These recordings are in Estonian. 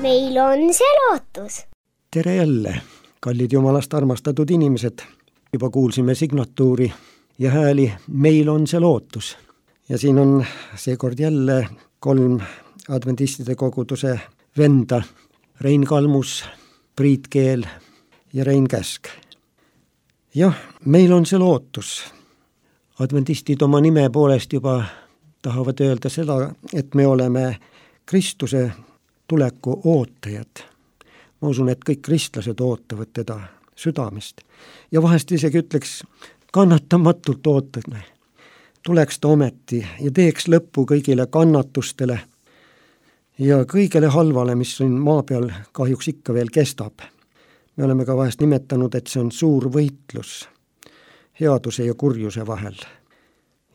meil on see lootus. Tere jälle, kallid Jumalast armastatud inimesed. Juba kuulsime signatuuri ja hääli Meil on see lootus. Ja siin on seekord jälle 3 adventistide koguduse venda, Rein Kalmus, Priit Keel ja Rein Käsk. Jah, meil on see lootus. Adventistid oma nime poolest juba tahavad öelda seda, et me oleme Kristuse tuleku ootajad. Ma usun, et kõik kristlased ootavad teda südamest. Ja vahest isegi ütleks, kannatamatult ootame. Tuleks ta ometi ja teeks lõppu kõigile kannatustele ja kõigele halvale, mis siin maa peal kahjuks ikka veel kestab. Me oleme ka vahest nimetanud, et see on suur võitlus headuse ja kurjuse vahel.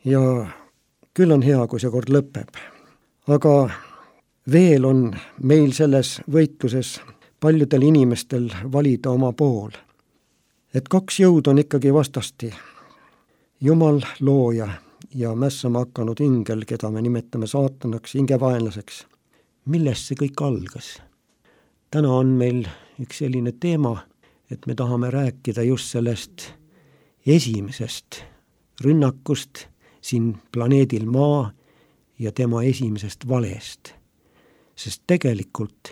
Ja küll on hea, kui see kord lõpeb. Aga veel on meil selles võitluses paljudel inimestel valida oma pool. Et 2 jõud on ikkagi vastasti. Jumal looja ja mässama hakanud ingel, keda me nimetame saatanaks, hingevaenlaseks. Millest see kõik algas? Täna on meil üks selline teema, et me tahame rääkida just sellest esimesest rünnakust siin planeedil Maa ja tema esimesest valest. Sest tegelikult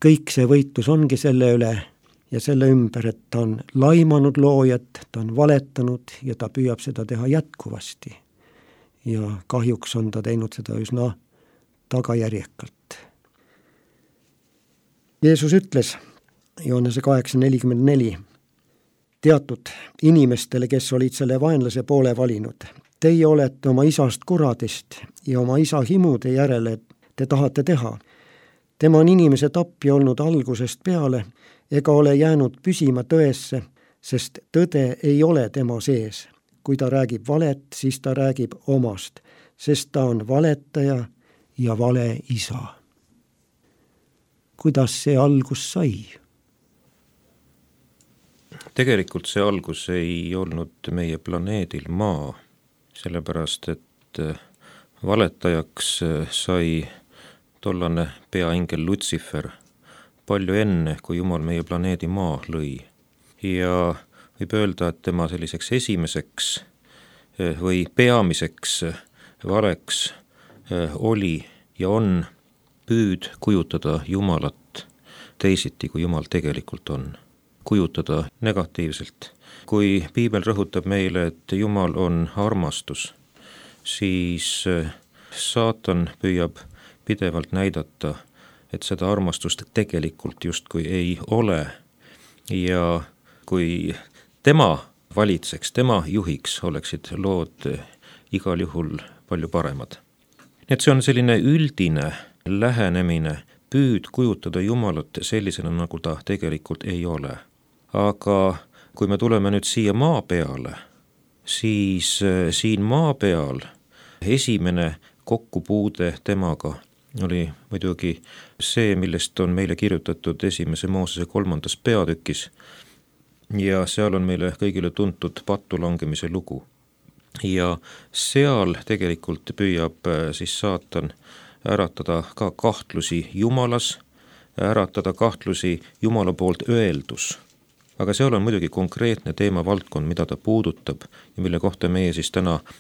kõik see võitlus ongi selle üle ja selle ümber, et ta on laimanud loojat, ta on valetanud ja ta püüab seda teha jätkuvasti. Ja kahjuks on ta teinud seda üsna tagajärjekalt. Jeesus ütles Johannese 8:44 teatud inimestele, kes olid selle vaenlase poole valinud. Teie olete oma isast kuradist ja oma isa himude järele te tahate teha. Tema on inimese tapja olnud algusest peale ega ole jäänud püsima tõesse, sest tõde ei ole tema sees. Kui ta räägib valet, siis ta räägib omast, sest ta on valetaja ja vale isa. Kuidas see algus sai? Tegelikult see algus ei olnud meie planeedil Maa, sellepärast et valetajaks sai tollane peaingel Lutsifer palju enne, kui Jumal meie planeedi Maa lõi. Ja võib öelda, et tema selliseks esimeseks või peamiseks valeks oli ja on püüd kujutada Jumalat teisiti, kui Jumal tegelikult on. Kujutada negatiivselt. Kui Piibel rõhutab meile, et Jumal on armastus, siis saatan püüab pidevalt näidata, et seda armastust tegelikult justkui ei ole. Ja kui tema valitseks, tema juhiks, oleksid lood igal juhul palju paremad. Et see on selline üldine lähenemine, püüd kujutada Jumalat sellisena, nagu ta tegelikult ei ole. Aga kui me tuleme nüüd siia maa peale, siis siin maa peal esimene kokkupuude temaga oli muidugi see, millest on meile kirjutatud 1. Moosese 3. peatükis ja seal on meile kõigile tuntud pattu langemise lugu. Ja seal tegelikult püüab siis saatan äratada ka kahtlusi Jumalas, äratada kahtlusi Jumala poolt öeldus. Aga seal on muidugi konkreetne teemavaldkond, mida ta puudutab ja mille kohta meie siis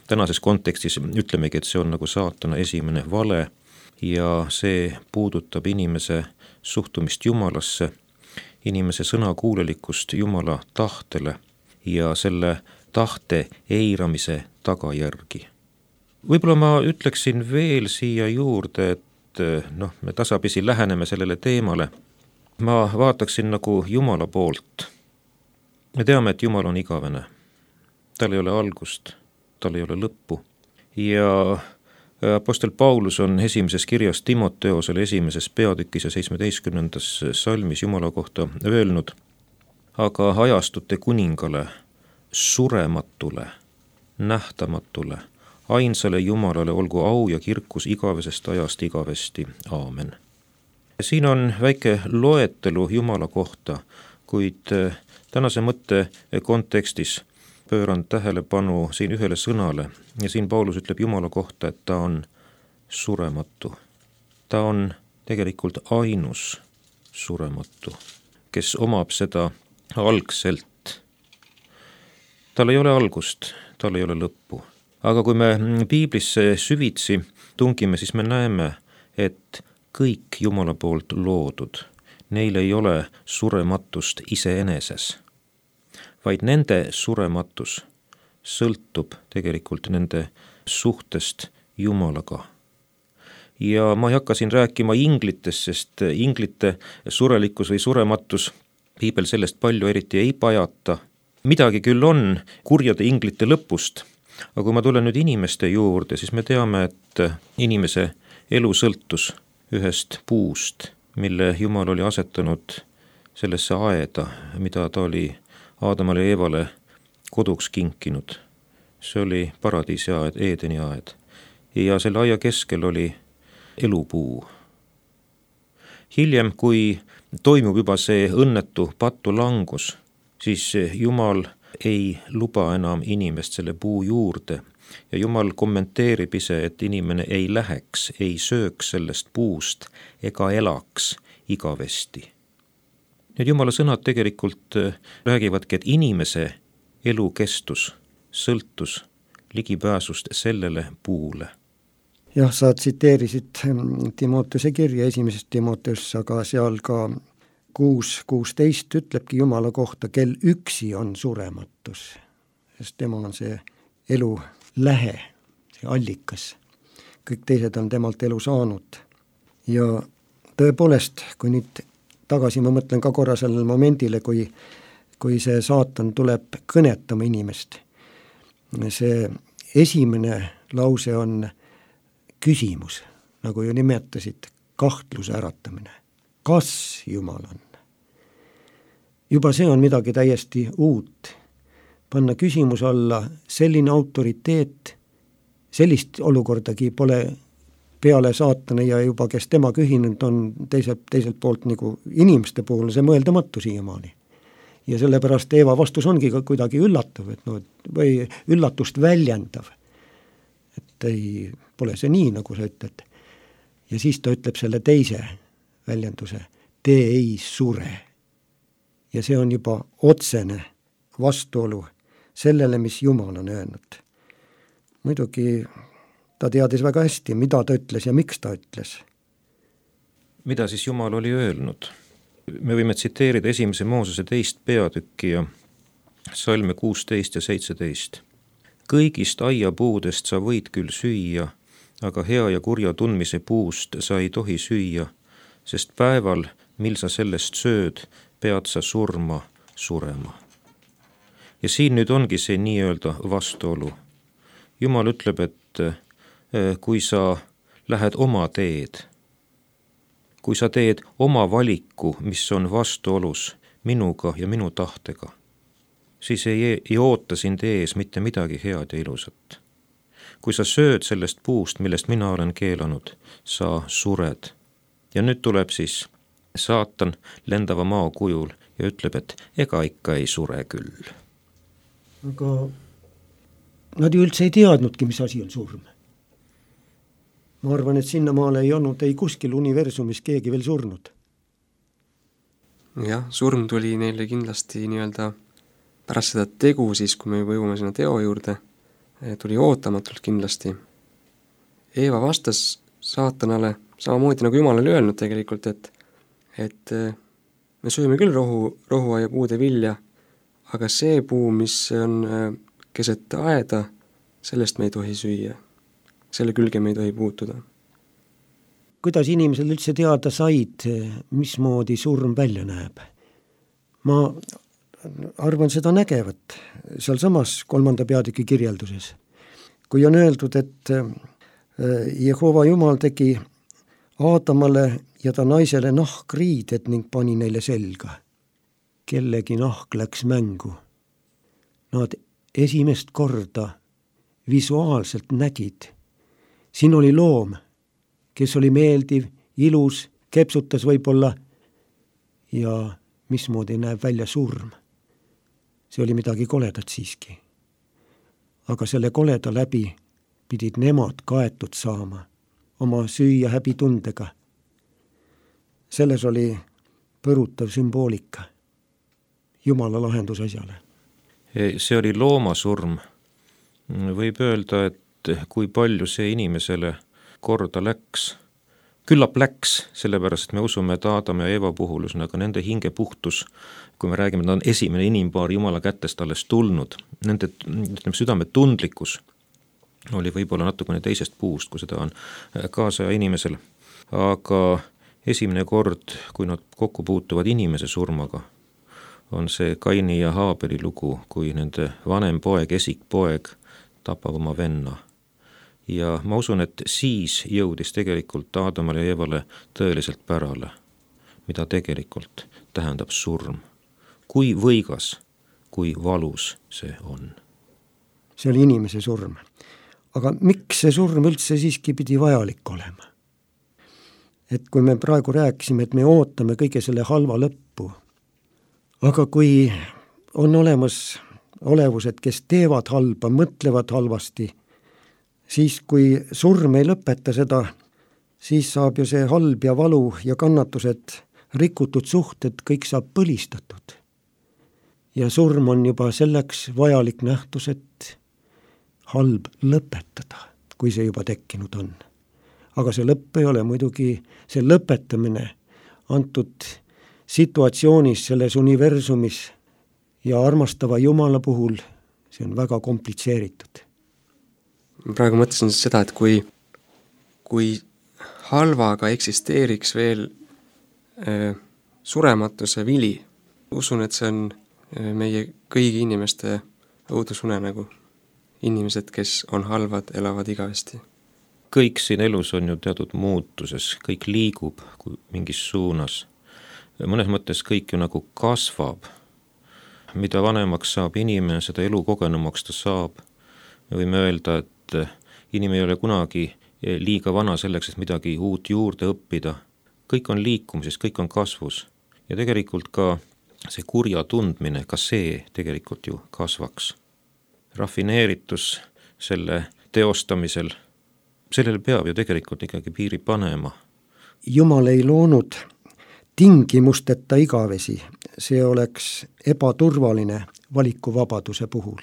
tänases kontekstis ütlemegi, et see on nagu saatana esimene vale ja see puudutab inimese suhtumist Jumalasse, inimese sõnakuulelikkust Jumala tahtele ja selle tahte eiramise tagajärgi. Võib-olla ma ütleksin veel siia juurde, et me tasapisi läheneme sellele teemale. Ma vaataksin nagu Jumala poolt. Me teame, et Jumal on igavene. Tal ei ole algust, tal ei ole lõppu. Ja apostel Paulus on esimeses kirjas Timoteosele 1. peatükis ja 17. salmis Jumala kohta öelnud, aga ajastute kuningale, surematule, nähtamatule, ainsale Jumalale olgu au ja kirkus igavesest ajast igavesti. Aamen. Siin on väike loetelu Jumala kohta, kuid tänase mõtte kontekstis pööran tähelepanu siin ühele sõnale ja siin Paulus ütleb Jumala kohta, et ta on surematu. Ta on tegelikult ainus surematu, kes omab seda algselt. Tal ei ole algust, tal ei ole lõppu. Aga kui me piiblisse süvitsi tungime, siis me näeme, et kõik Jumala poolt loodud, neil ei ole surematust iseeneses, vaid nende surematus sõltub tegelikult nende suhtest Jumalaga. Ja ma ei hakka siin rääkima inglitest, sest inglite surelikkus või surematus, piibel sellest palju eriti ei pajata. Midagi küll on kurjade inglite lõpust, aga kui ma tulen nüüd inimeste juurde, siis me teame, et inimese elu sõltus ühest puust, mille Jumal oli asetanud sellesse aeda, mida ta oli Aadamale ja Eevale koduks kinkinud. See oli paradiisi aed, Eedeni aed. Ja selle aia keskel oli elupuu. Hiljem, kui toimub juba see õnnetu patulangus, siis Jumal ei luba enam inimest selle puu juurde ja Jumal kommenteerib ise, et inimene ei läheks, ei sööks sellest puust ega elaks igavesti. Need Jumala sõnad tegelikult räägivadki, et inimese elukestus sõltus ligipääsust sellele puule. Jah, sa tsiteerisid Timoteuse kirja 1. Timoteus, aga seal ka 6.16 ütlebki Jumala kohta, kel üksi on surematus, sest tema on see elu lähe, see allikas. Kõik teised on temalt elu saanud. Ja tõepoolest, kui nüüd tagasi ma mõtlen ka korra sellele momendile, kui see saatan tuleb kõnetama inimest. See esimene lause on küsimus, nagu ju nimetasid, kahtluse äratamine. Kas Jumal on? Juba see on midagi täiesti uut. Panna küsimus alla selline autoriteet, sellist olukordagi pole peale saatana ja juba kes tema ühinenud on teiselt poolt nagu inimeste puhul, see mõeldamatu siiamaani. Ja sellepärast Eeva vastus ongi ka kuidagi üllatav, või üllatust väljendav. Et ei, pole see nii, nagu sa ütled. Ja siis ta ütleb selle teise väljenduse, te ei sure. Ja see on juba otsene vastuolu sellele, mis Jumal on öelnud. Muidugi ta teadis väga hästi, mida ta ütles ja miks ta ütles. Mida siis Jumal oli öelnud? Me võime tsiteerida 1. Moosese 2. peatükki ja salme 16 ja 17. Kõigist aiapuudest sa võid küll süüa, aga hea ja kurja tundmise puust sa ei tohi süüa, sest päeval, mil sa sellest sööd, pead sa surema. Ja siin nüüd ongi see nii-öelda vastuolu. Jumal ütleb, et kui sa lähed oma teed, kui sa teed oma valiku, mis on vastuolus minuga ja minu tahtega, siis ei oota sind ees mitte midagi head ja ilusat. Kui sa sööd sellest puust, millest mina olen keelanud, sa sured. Ja nüüd tuleb siis saatan lendava maa kujul ja ütleb, et ega ikka ei sure küll. Aga nad ju üldse ei teadnudki, mis asi on surm. Ma arvan, et sinnamaale ei olnud ei kuskil universumis keegi veel surnud. Jah, surm tuli neile kindlasti nii-öelda pärast seda tegu siis, kui me juba jõuame sinna teo juurde, tuli ootamatult kindlasti. Eeva vastas saatanale samamoodi nagu Jumal oli öelnud tegelikult, et me sööme küll rohuaia puude vilja, aga see puu, mis on keset aeda, sellest me ei tohi süüa. Selle külge me ei tohi puutuda. Kuidas inimesed üldse teada said, mismoodi surm välja näeb? Ma arvan seda nägevat seal samas 3. peatüki kirjelduses. Kui on öeldud, et Jehova Jumal tegi Aadamale ja ta naisele nahkriided ning pani neile selga. Kellegi nahk läks mängu. Nad esimest korda visuaalselt nägid. Siin oli loom, kes oli meeldiv, ilus, kepsutas võib-olla ja mismoodi näeb välja surm. See oli midagi koledat siiski. Aga selle koleda läbi pidid nemad kaetud saama oma süü ja häbitundega. Selles oli põrutav sümboolika Jumala lahendus asjale. See oli loomasurm. Võib öelda, et kui palju see inimesele korda läks. Küllap läks, sellepärast me usume, et Aadam ja Eeva puhul, aga nende hinge puhtus, kui me räägime, et nad on esimene inimpaar Jumala kätest alles tulnud, nende südame tundlikkus oli võib-olla natukene teisest puust, kui seda on kaasaja inimesel. Aga esimene kord, kui nad kokku puutuvad inimese surmaga, on see Kaini ja Haabeli lugu, kui nende vanem poeg, esikpoeg tapab oma venna. Ja ma usun, et siis jõudis tegelikult Aadamale ja Eevale tõeliselt pärale, mida tegelikult tähendab surm. Kui võigas, kui valus see on. See oli inimese surm. Aga miks see surm üldse siiski pidi vajalik olema? Et kui me praegu rääkisime, et me ootame kõige selle halva lõppu, aga kui on olemas olevused, kes teevad halba, mõtlevad halvasti, siis kui surm ei lõpeta seda, siis saab ju see halb ja valu ja kannatused, rikutud suhted, kõik saab põlistatud. Ja surm on juba selleks vajalik nähtus, et halb lõpetada, kui see juba tekkinud on. Aga see lõpp ei ole muidugi, see lõpetamine antud situatsioonis, selles universumis ja armastava Jumala puhul, see on väga komplitseeritud. Praegu mõtlesin seda, et kui halvaga eksisteeriks veel surematuse vili, usun, et see on meie kõigi inimeste õudusunenägu. Inimesed, kes on halvad, elavad igavesti. Kõik siin elus on ju teatud muutuses, kõik liigub mingis suunas. Mõnes mõttes kõik ju nagu kasvab. Mida vanemaks saab inimene, seda elu kogenumaks ta saab. Me võime öelda, et inimene ei ole kunagi liiga vana selleks, et midagi uut juurde õppida. Kõik on liikumises, kõik on kasvus. Ja tegelikult ka see kurja tundmine, ka see tegelikult ju kasvaks. Rafineeritus selle teostamisel, sellele peab ju tegelikult ikkagi piiri panema. Jumal ei loonud tingimusteta igavesi, see oleks ebaturvaline valikuvabaduse puhul.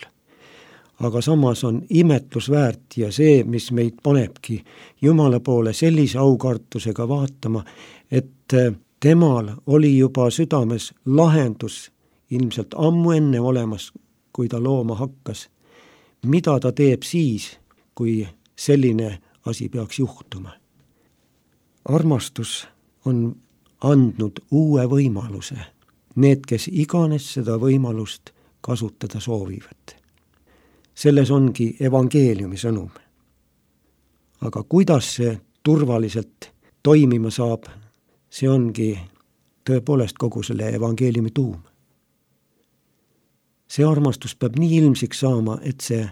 Aga samas on imetlusväärt ja see, mis meid panebki Jumala poole sellise aukartusega vaatama, et temal oli juba südames lahendus ilmselt ammu enne olemas, kui ta looma hakkas. Mida ta teeb siis, kui selline asi peaks juhtuma? Armastus on andnud uue võimaluse. Need, kes iganes seda võimalust kasutada soovivad. Selles ongi evangeeliumi sõnum. Aga kuidas see turvaliselt toimima saab, see ongi tõepoolest kogu selle evangeeliumi tuum. See armastus peab nii ilmsiks saama, et see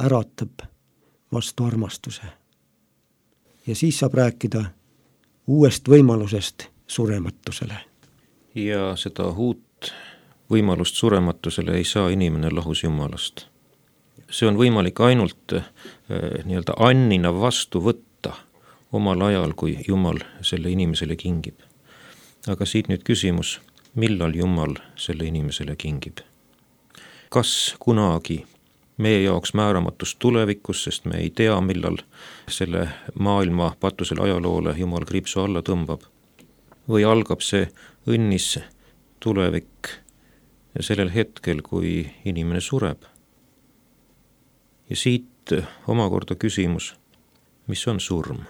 äratab vastu armastuse. Ja siis saab rääkida uuest võimalusest surematusele. Ja seda uut võimalust surematusele ei saa inimene lahus Jumalast. See on võimalik ainult nii-öelda annina vastu võtta omal ajal, kui Jumal selle inimesele kingib. Aga siit nüüd küsimus, millal Jumal selle inimesele kingib? Kas kunagi meie jaoks määramatus tulevikus, sest me ei tea, millal selle maailma patusele ajaloole Jumal kriipsu alla tõmbab? Või algab see õnnis tulevik sellel hetkel, kui inimene sureb? Ja siit omakorda küsimus, mis on surm?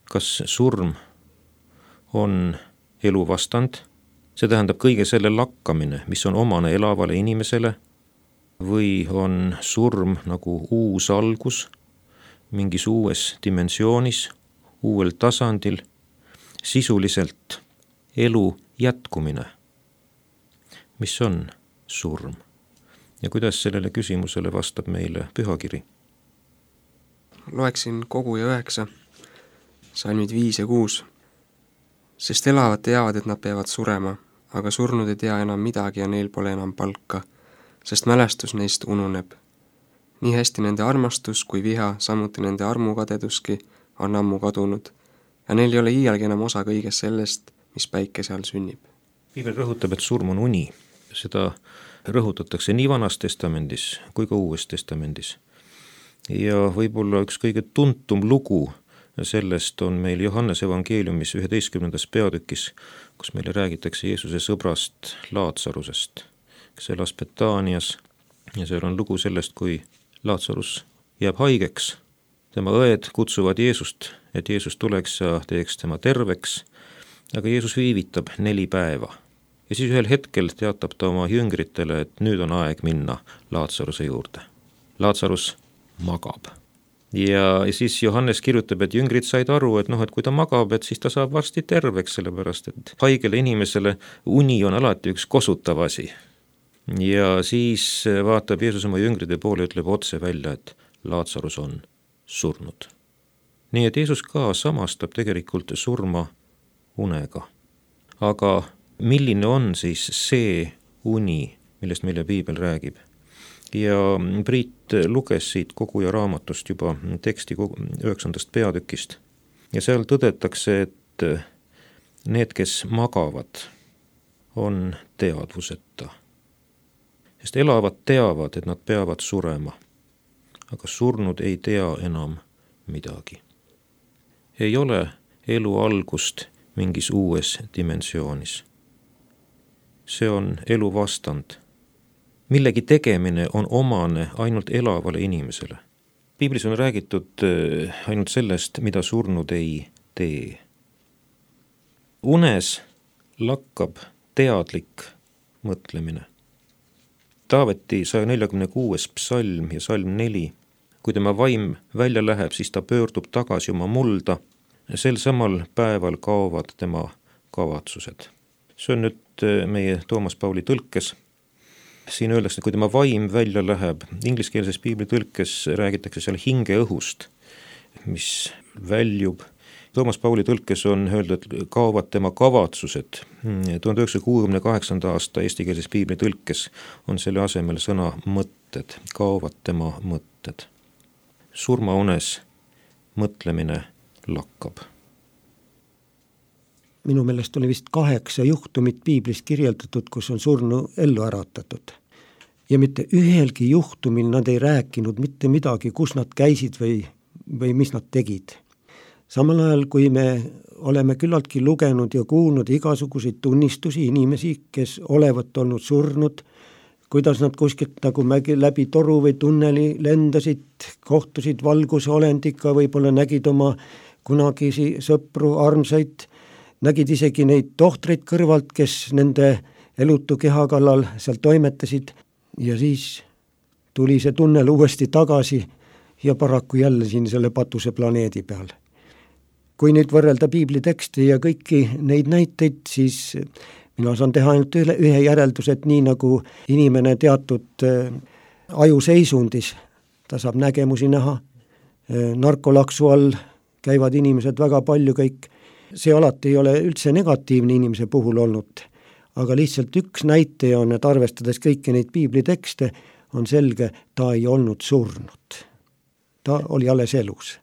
Kas surm on elu vastand? See tähendab kõige selle lakkamine, mis on omane elavale inimesele, või on surm nagu uus algus, mingis uues dimensioonis, uuel tasandil, sisuliselt elu jätkumine. Mis on surm? Ja kuidas sellele küsimusele vastab meile pühakiri? Loeksin koguja 9, salmid 5 ja 6. Sest elavad teavad, et nad peavad surema, aga surnud ei tea enam midagi ja neil pole enam palka, sest mälestus neist ununeb. Nii hästi nende armastus kui viha, samuti nende armukadeduski on ammu kadunud ja neil ei ole iialgi enam osa kõigest sellest, mis päikese all sünnib. Piibel rõhutab, et surm on uni. Seda rõhutatakse nii Vanas Testamendis kui ka Uues Testamendis. Ja võib-olla üks kõige tuntum lugu sellest on meil Johannes evangeeliumis 11. peatükis, kus meile räägitakse Jeesuse sõbrast Laatsarusest, kes elas Betaanias, ja seal on lugu sellest, kui Laatsarus jääb haigeks. Tema õed kutsuvad Jeesust, et Jeesus tuleks ja teeks tema terveks, aga Jeesus viivitab 4 päeva. Ja siis ühel hetkel teatab ta oma jüngritele, et nüüd on aeg minna Laatsaruse juurde. Laatsarus magab. Ja siis Johannes kirjutab, et jüngrid said aru, et kui ta magab, et siis ta saab varsti terveks, sellepärast et haigele inimesele uni on alati üks kosutav asi. Ja siis vaatab Jeesus oma jüngride poole ja ütleb otse välja, et Laatsarus on surnud. Nii et Jeesus ka samastab tegelikult surma unega. Aga milline on siis see uni, millest meile Piibel räägib? Ja Priit luges siit Koguja raamatust juba teksti 9. peatükist. Ja seal tõdetakse, et need, kes magavad, on teadvuseta. Sest elavad teavad, et nad peavad surema, aga surnud ei tea enam midagi. Ei ole elu algust mingis uues dimensioonis. See on elu vastand. Millegi tegemine on omane ainult elavale inimesele. Piiblis on räägitud ainult sellest, mida surnud ei tee. Unes lakkab teadlik mõtlemine. Taaveti 146. psalm ja salm 4. Kui tema vaim välja läheb, siis ta pöördub tagasi oma mulda. Sel samal päeval kaovad tema kavatsused. See on nüüd meie Toomas Pauli tõlkes. Siin öeldakse, et kui tema vaim välja läheb, ingliskeelses piibli tõlkes räägitakse seal hingeõhust, mis väljub. Toomas Pauli tõlkes on öeldud, et kaovad tema kavatsused. 1968. aasta eestikeelses piibli tõlkes on selle asemel sõna mõtted, kaovad tema mõtted. Surmaunes mõtlemine lakkab. Minu meelest oli vist 8 juhtumit Piiblis kirjeldatud, kus on surnu ellu äratatud. Ja mitte ühelgi juhtumil nad ei rääkinud mitte midagi, kus nad käisid või mis nad tegid. Samal ajal, kui me oleme küllaltki lugenud ja kuulnud igasuguseid tunnistusi inimesi, kes olevat olnud surnud, kuidas nad kuskilt nagu läbi toru või tunneli lendasid, kohtusid valgusolendiga, võib-olla nägid oma kunagisi sõpru, armsaid, nägid isegi neid tohtreid kõrvalt, kes nende elutu keha kallal seal toimetasid, ja siis tuli see tunnel uuesti tagasi ja paraku jälle siin selle patuse planeedi peal. Kui nüüd võrrelda piibli teksti ja kõiki neid näiteid, siis mina saan teha ainult ühe järeldus, et nii nagu inimene teatud ajuseisundis, ta saab nägemusi näha, narkolaksu all käivad inimesed väga palju kõik. See alati ei ole üldse negatiivne inimese puhul olnud, aga lihtsalt üks näitaja on, et arvestades kõiki neid piibli tekste, on selge, ta ei olnud surnud. Ta oli alles elus.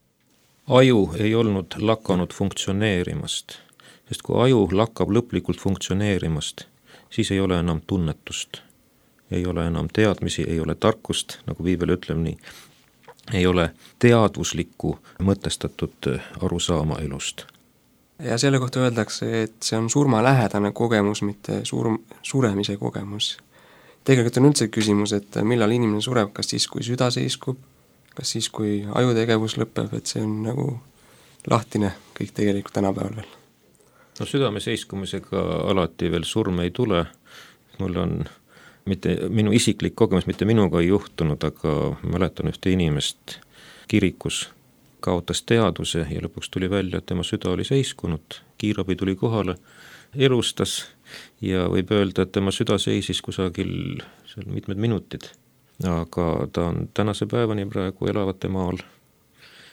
Aju ei olnud lakanud funktsioneerimast, sest kui aju lakkab lõplikult funktsioneerimast, siis ei ole enam tunnetust, ei ole enam teadmisi, ei ole tarkust, nagu Piibel ütleb nii, ei ole teadvuslikku mõtestatud arusaama elust. Ja selle kohta öeldakse, et see on surmalähedane kogemus, mitte suremise kogemus. Tegelikult on üldse küsimus, et millal inimene sureb, kas siis, kui süda seiskub, kas siis, kui ajutegevus lõpeb, et see on nagu lahtine kõik tegelikult tänapäeval veel. No südame seiskumisega alati veel surm ei tule. Mul on minu isiklik kogemus, mitte minuga ei juhtunud, aga mäletan ühte inimest kirikus, kaotas teadvuse ja lõpuks tuli välja, et tema süda oli seiskunud, kiirabi tuli kohale, elustas ja võib öelda, et tema süda seisis kusagil seal mitmed minutid, aga ta on tänase päevani praegu elavate maal.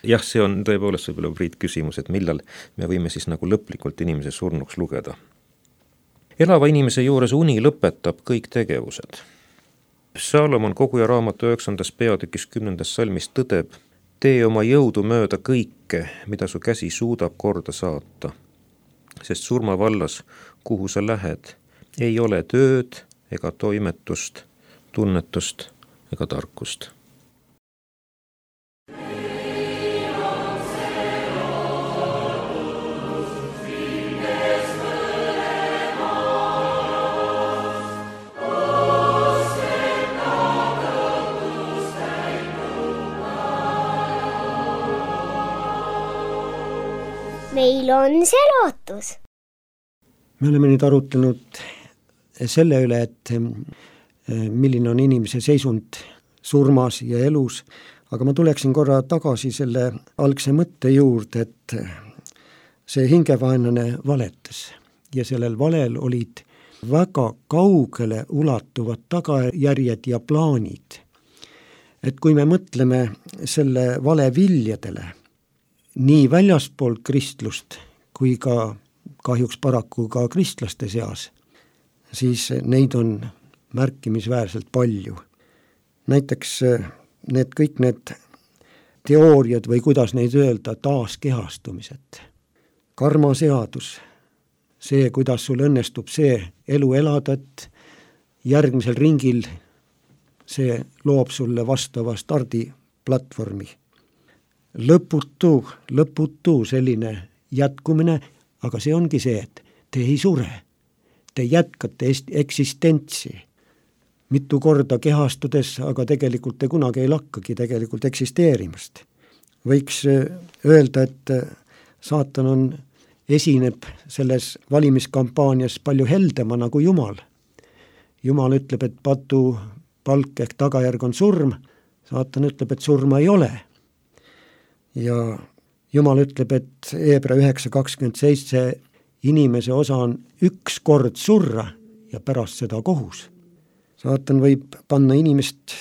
Jah, see on tõepoolest võib-olla Priit küsimus, et millal me võime siis nagu lõplikult inimese surnuks lugeda. Elava inimese juures uni lõpetab kõik tegevused. Saalomon Koguja raamatu 9. peatükis 10. salmis tõdeb, tee oma jõudu mööda kõike, mida su käsi suudab korda saata. sest surmavallas, kuhu sa lähed, ei ole tööd ega toimetust, tunnetust ega tarkust. meil on see lootus. Me oleme nüüd arutlenud selle üle, et milline on inimese seisund surmas ja elus, aga ma tuleksin korra tagasi selle algse mõtte juurde, et see hingevaenlane valetas ja sellel valel olid väga kaugele ulatuvad tagajärjed ja plaanid. Et kui me mõtleme selle vale viljadele, nii väljaspool kristlust kui ka kahjuks paraku ka kristlaste seas, siis neid on märkimisväärselt palju. Näiteks kõik need teooriad või kuidas neid öelda, taaskehastumised, karmaseadus, see, kuidas sul õnnestub see elu elada, et järgmisel ringil see loob sulle vastava stardiplatvormi. Lõputu selline jätkumine, aga see ongi see, et te ei sure, te jätkate eksistentsi. Mitu korda kehastudes, aga tegelikult te kunagi ei lakkagi tegelikult eksisteerimast. Võiks öelda, et saatan esineb selles valimiskampaanias palju heldemana kui Jumal. Jumal ütleb, et patu palk ehk tagajärg on surm, saatan ütleb, et surma ei ole. Ja Jumal ütleb, et Hebra 9:27 inimese osa on üks kord surra ja pärast seda kohus. Saatan võib panna inimest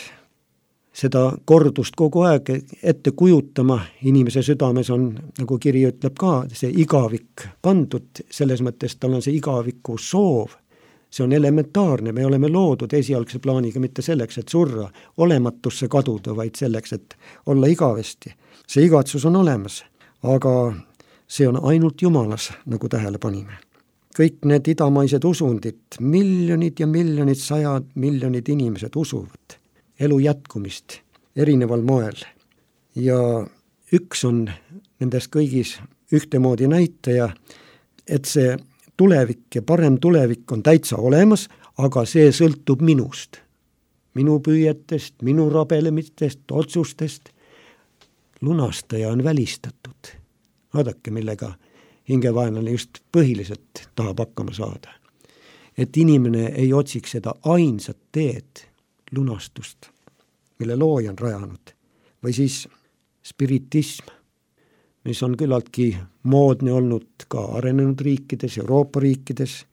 seda kordust kogu aeg ette kujutama, inimese südames on, nagu kiri ütleb ka, see igavik pandud, selles mõttes tal on see igaviku soov. See on elementaarne, me oleme loodud esialgse plaaniga mitte selleks, et surra, olematusse kaduda, vaid selleks, et olla igavesti. See igatsus on olemas, aga see on ainult Jumalas, nagu tähele panime. Kõik need idamaised usundid, miljonid ja miljonid, 100 miljonid inimesed usuvad elu jätkumist erineval moel. Ja üks on nendes kõigis ühtemoodi näitaja, et see tulevik ja parem tulevik on täitsa olemas, aga see sõltub minust. Minu püüetest, minu rabelemistest, otsustest. Lunastaja on välistatud. Vaadake, millega hingevaenlane just põhiliselt tahab hakkama saada. Et inimene ei otsiks seda ainsat teed, lunastust, mille looja on rajanud. Või siis spiritism, mis on küllaltki moodne olnud ka arenenud riikides, Euroopa riikides,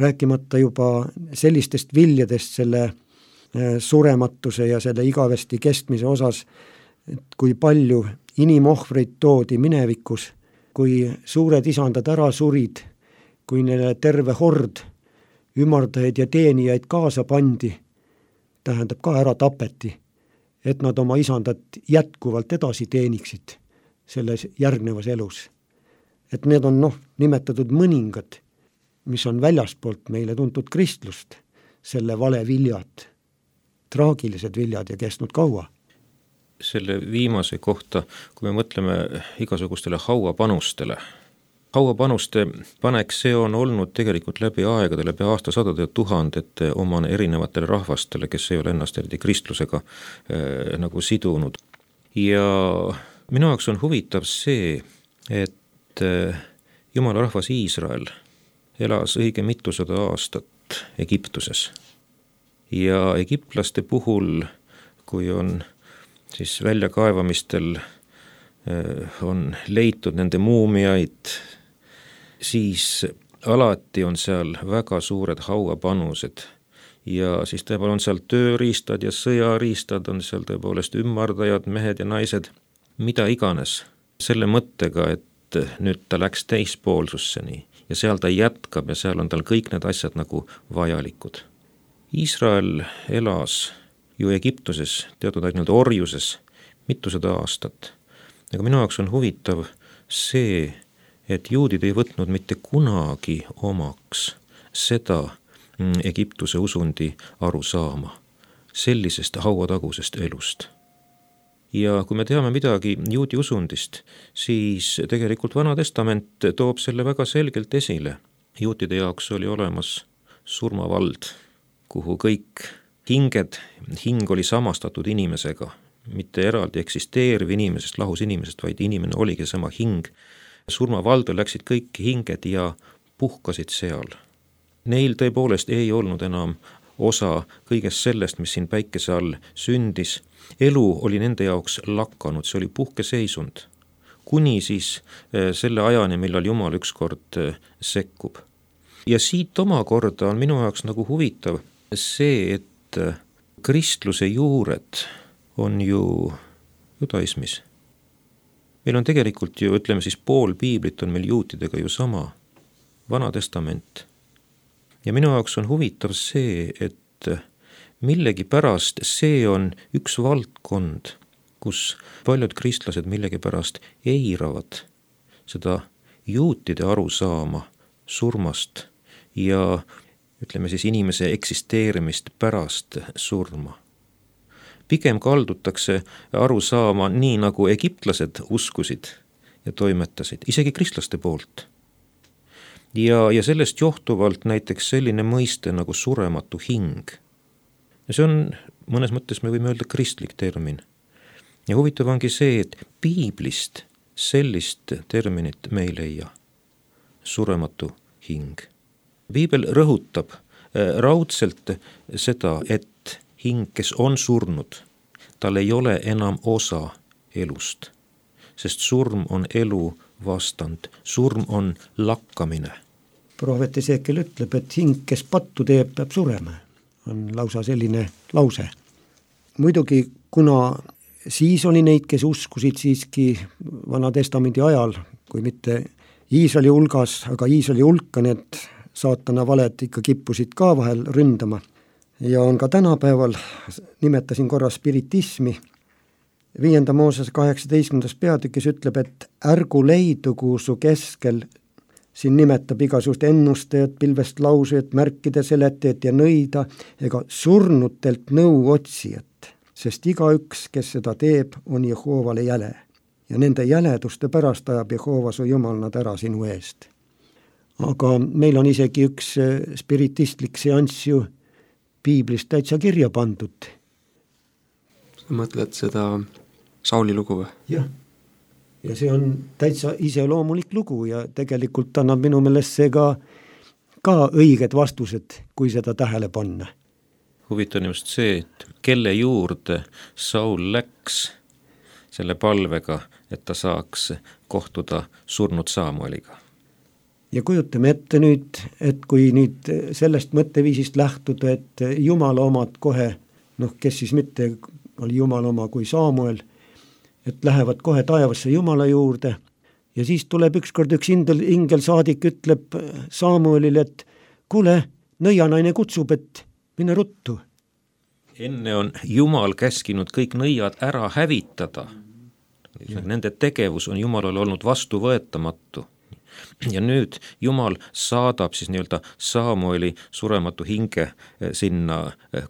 rääkimata juba sellistest viljadest selle surematuse ja selle igavesti kestmise osas, et kui palju inimohvreid toodi minevikus, kui suured isandad ära surid, kui neile terve hord ümardajaid ja teenijaid kaasa pandi, tähendab ka ära tapeti, et nad oma isandat jätkuvalt edasi teeniksid selles järgnevas elus. Et need on nimetatud mõningad, mis on väljaspoolt meile tuntud kristlust, selle vale viljad, traagilised viljad ja kestnud kaua. Selle viimase kohta, kui me mõtleme igasugustele hauapanustele. Hauapanuste panek, see on olnud tegelikult läbi aegade, läbi aastasadade ja tuhandete omane erinevatele rahvastele, kes ei ole ennast eriti kristlusega nagu sidunud. Ja minu jaoks on huvitav see, et Jumala rahvas Iisrael elas õige mitusada aastat Egiptuses. Ja egiptlaste puhul, kui on siis väljakaevamistel on leitud nende muumiaid, siis alati on seal väga suured hauapanused ja siis tõepoolest on seal tööriistad ja sõjariistad, on seal tõepoolest ümmardajad, mehed ja naised, mida iganes, selle mõttega, et nüüd ta läks teispoolsusseni ja seal ta jätkab ja seal on tal kõik need asjad nagu vajalikud. Iisrael elas ju Egiptuses, teatud aeg orjuses, mitusada aastat. Aga minu jaoks on huvitav see, et juudid ei võtnud mitte kunagi omaks seda Egiptuse usundi arusaama sellisest hauatagusest elust. Ja kui me teame midagi juudi usundist, siis tegelikult Vana Testament toob selle väga selgelt esile. Juutide jaoks oli olemas surmavald, kuhu kõik hing oli samastatud inimesega, mitte eraldi eksisteeriv inimesest, lahus inimesest, vaid inimene oligi sama hing. Surmavaldu läksid kõik hinged ja puhkasid seal. Neil tõepoolest ei olnud enam osa kõigest sellest, mis siin päikese all sündis. Elu oli nende jaoks lakanud, see oli puhkeseisund. Kuni siis selle ajani, millal Jumal ükskord sekkub. Ja siit omakorda on minu jaoks nagu huvitav see, et kristluse juured on ju judaismis. Meil on tegelikult ju, ütleme siis pool piiblit on meil juutidega ju sama, Vana Testament. Ja minu jaoks on huvitav see, et millegipärast see on üks valdkond, kus paljud kristlased millegipärast eiravad seda juutide arusaama surmast ja ütleme siis inimese eksisteerimist pärast surma. Pigem kaldutakse arusaama nii, nagu egiptlased uskusid ja toimetasid, isegi kristlaste poolt. Ja sellest johtuvalt näiteks selline mõiste nagu surematu hing. Ja see on mõnes mõttes, me võime öelda, kristlik termin. Ja huvitav ongi see, et piiblist sellist terminit me ei leia. Surematu hing. Piibel rõhutab raudselt seda, et hing, kes on surnud, tal ei ole enam osa elust, sest surm on elu vastand, surm on lakkamine. Prohvet Esekiel ütleb, et hing, kes pattu teeb, peab surema. On lausa selline lause. Muidugi, kuna siis oli neid, kes uskusid siiski Vana Testamendi ajal, kui mitte Iisraeli hulgas, aga Iisraeli hulka need saatana valed ikka kippusid ka vahel ründama. Ja on ka tänapäeval, nimetasin korra spiritismi, 5. Moosese 18. peatükis ütleb, et ärgu leidugu su keskel, siin nimetab igasugust ennustajat, pilvest lausujat, märkide seletajat ja nõida, ega surnutelt nõu otsijat, sest igaüks, kes seda teeb, on Jehoovale jäle. Ja nende jäleduste pärast ajab Jehova su Jumal nad ära sinu eest. Aga meil on isegi üks spiritistlik seanss ju piiblist täitsa kirja pandud. Sa mõtled seda Sauli lugu või? Jah. Ja see on täitsa iseloomulik lugu ja tegelikult annab minu meelest see ka õiged vastused, kui seda tähele panna. Huvitav just see, et kelle juurde Saul läks selle palvega, et ta saaks kohtuda surnud Saamueliga. Ja kujutame ette nüüd, et kui nüüd sellest mõtteviisist lähtuda, et Jumala omad kohe, kes siis mitte oli Jumala oma kui Saamuel, et lähevad kohe taevasse Jumala juurde ja siis tuleb ükskord üks ingelsaadik ütleb Saamuelile, et kuule, nõianaine kutsub, et mine ruttu. Enne on Jumal käskinud kõik nõiad ära hävitada. Nende tegevus on Jumalale olnud vastuvõetamatu. Ja nüüd Jumal saadab siis nii-öelda Saamueli surematu hinge sinna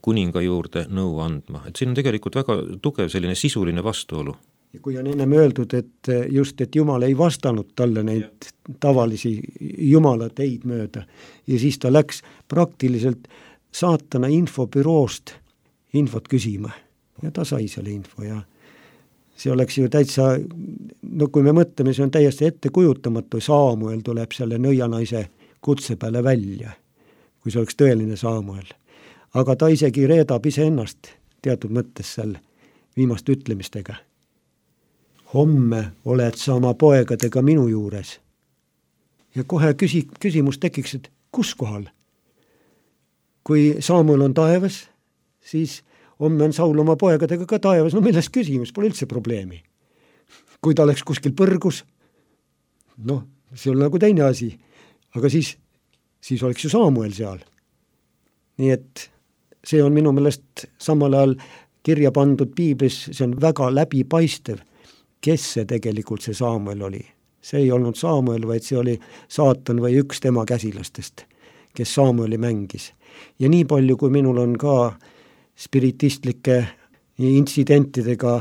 kuninga juurde nõu andma. Et siin on tegelikult väga tugev selline sisuline vastuolu. Ja kui on ennem öeldud, et just, et Jumal ei vastanud talle neid tavalisi Jumala teid mööda ja siis ta läks praktiliselt saatana infobüroost infot küsima ja ta sai selle info ja see oleks ju täitsa, kui me mõtleme, see on täiesti ettekujutamatu, Saamuel tuleb selle nõianaise kutse peale välja, kui see oleks tõeline Saamuel. Aga ta isegi reedab iseennast teatud mõttes seal viimaste ütlemistega. Homme oled sa oma poegadega minu juures. Ja kohe küsimus tekiks, et kus kohal? Kui Saamuel on taevas, siis homme on Saul oma poegadega ka taevas, milles küsimus, pole üldse probleemi. Kui ta oleks kuskil põrgus, see on nagu teine asi, aga siis oleks ju Saamuel seal. Nii et see on minu meelest samal ajal kirja pandud piiblis, see on väga läbipaistev, kes see tegelikult see Saamuel oli. see ei olnud Samuel, vaid see oli saatan või üks tema käsilastest, kes Samueli mängis. Ja nii palju, kui minul on ka spiritistlike intsidentidega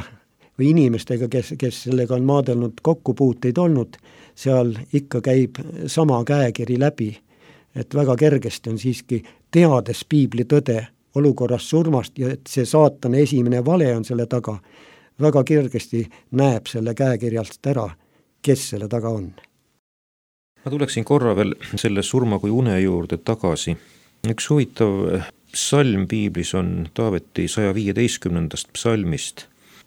või inimestega, kes sellega on maadelnud kokkupuuteid olnud, seal ikka käib sama käekiri läbi, et väga kergesti on siiski teades piibli tõde olukorras surmast ja et see saatana esimene vale on selle taga, väga kergesti näeb selle käekirjalt ära, kes selle taga on. Ma tuleksin korra veel selle surma kui une juurde tagasi. Üks huvitav psalm piiblis on Taaveti 115. psalmist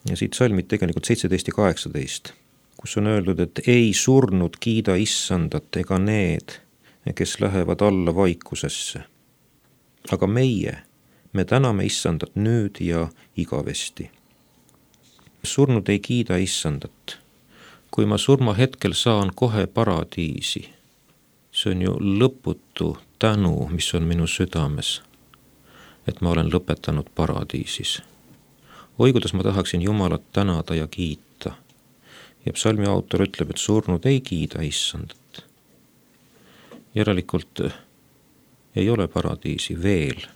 ja siit psalmid tegelikult 17 ja 18, kus on öeldud, et ei surnud kiida issandat ega need, kes lähevad alla vaikusesse. Aga me täname issandat nüüd ja igavesti. Surnud ei kiida issandat. Kui ma surma hetkel saan kohe paradiisi, see on ju lõputu tänu, mis on minu südames, et ma olen lõpetanud paradiisis. Oi, kuidas ma tahaksin Jumalat tänada ja kiita. Ja psalmi autor ütleb, et surnud ei kiida issandat. Järelikult ei ole paradiisi veel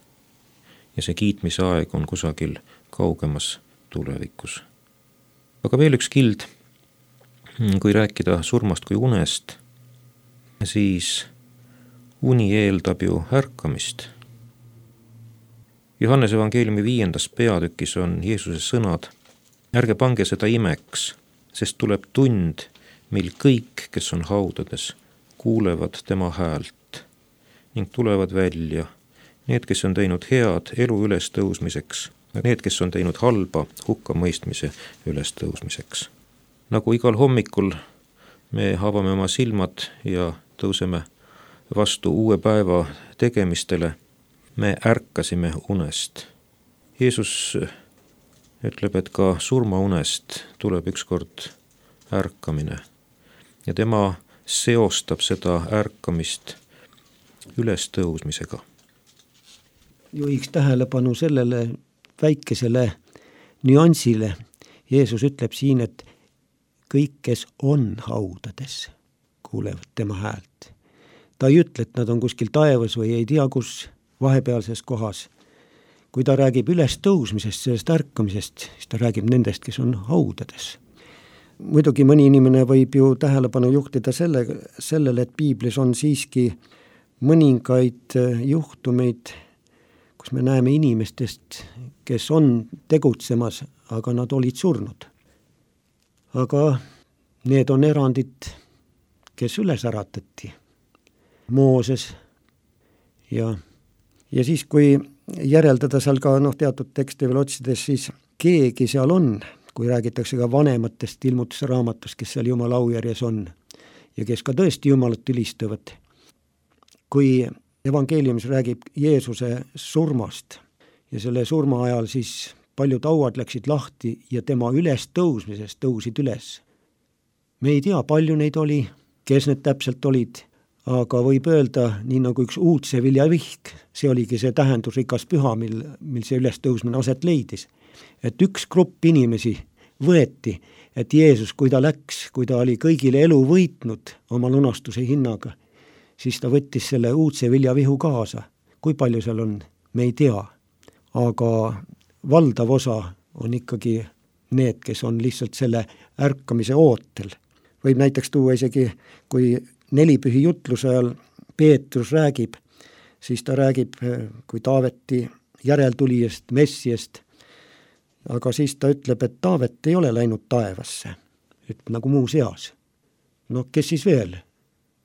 ja see kiitmise aeg on kusagil kaugemas tulevikus. Aga veel üks kild, kui rääkida surmast kui unest, siis uni eeldab ju ärkamist. Johannese evangeeliumi 5. peatükis on Jeesuse sõnad: ärge pange seda imeks, sest tuleb tund, mil kõik, kes on haudades, kuulevad tema häält ning tulevad välja, need, kes on teinud head elu ülestõusmiseks ja need, kes on teinud halba hukkamõistmise ülestõusmiseks. Nagu igal hommikul me avame oma silmad ja tõuseme vastu uue päeva tegemistele, me ärkasime unest. Jeesus ütleb, et ka surmaunest tuleb ükskord ärkamine ja tema seostab seda ärkamist ülestõusmisega. Juhiks tähelepanu sellele väikesele nüansile. Jeesus ütleb siin, et kõik, kes on haudades, kuulevad tema häält. Ta ei ütle, et nad on kuskil taevas või ei tea kus vahepealses kohas. Kui ta räägib ülestõusmisest, sellest ärkamisest, siis ta räägib nendest, kes on haudades. Muidugi mõni inimene võib ju tähelepanu juhtida sellele, et piiblis on siiski mõningaid juhtumeid, kus me näeme inimestest, kes on tegutsemas, aga nad olid surnud. Aga need on erandid, kes üles äratati. Mooses ja siis, kui järeldada seal ka teatud tekste veel otsides, siis keegi seal on, kui räägitakse ka vanematest ilmutuse raamatust, kes seal Jumala aujärjes on ja kes ka tõesti Jumalat ülistavad. Kui evangeeliumis räägib Jeesuse surmast ja selle surma ajal siis paljud hauad läksid lahti ja tema ülestõusmisest tõusid üles. Me ei tea, palju neid oli, kes need täpselt olid, aga võib öelda, nii nagu üks uudse viljavihk, see oligi see tähendusrikas püha, mil see ülestõusmine aset leidis. Et üks grupp inimesi võeti, et Jeesus, kui ta läks, kui ta oli kõigile elu võitnud oma lunastuse hinnaga, siis ta võttis selle uudse viljavihu kaasa. Kui palju seal on, me ei tea, aga valdav osa on ikkagi need, kes on lihtsalt selle ärkamise ootel. Võib näiteks tuua isegi, kui nelipühi jutluse ajal Peetrus räägib, siis ta räägib kui Taaveti järeltulijast, Messiast, aga siis ta ütleb, et Taavet ei ole läinud taevasse, nagu muu seas. Kes siis veel?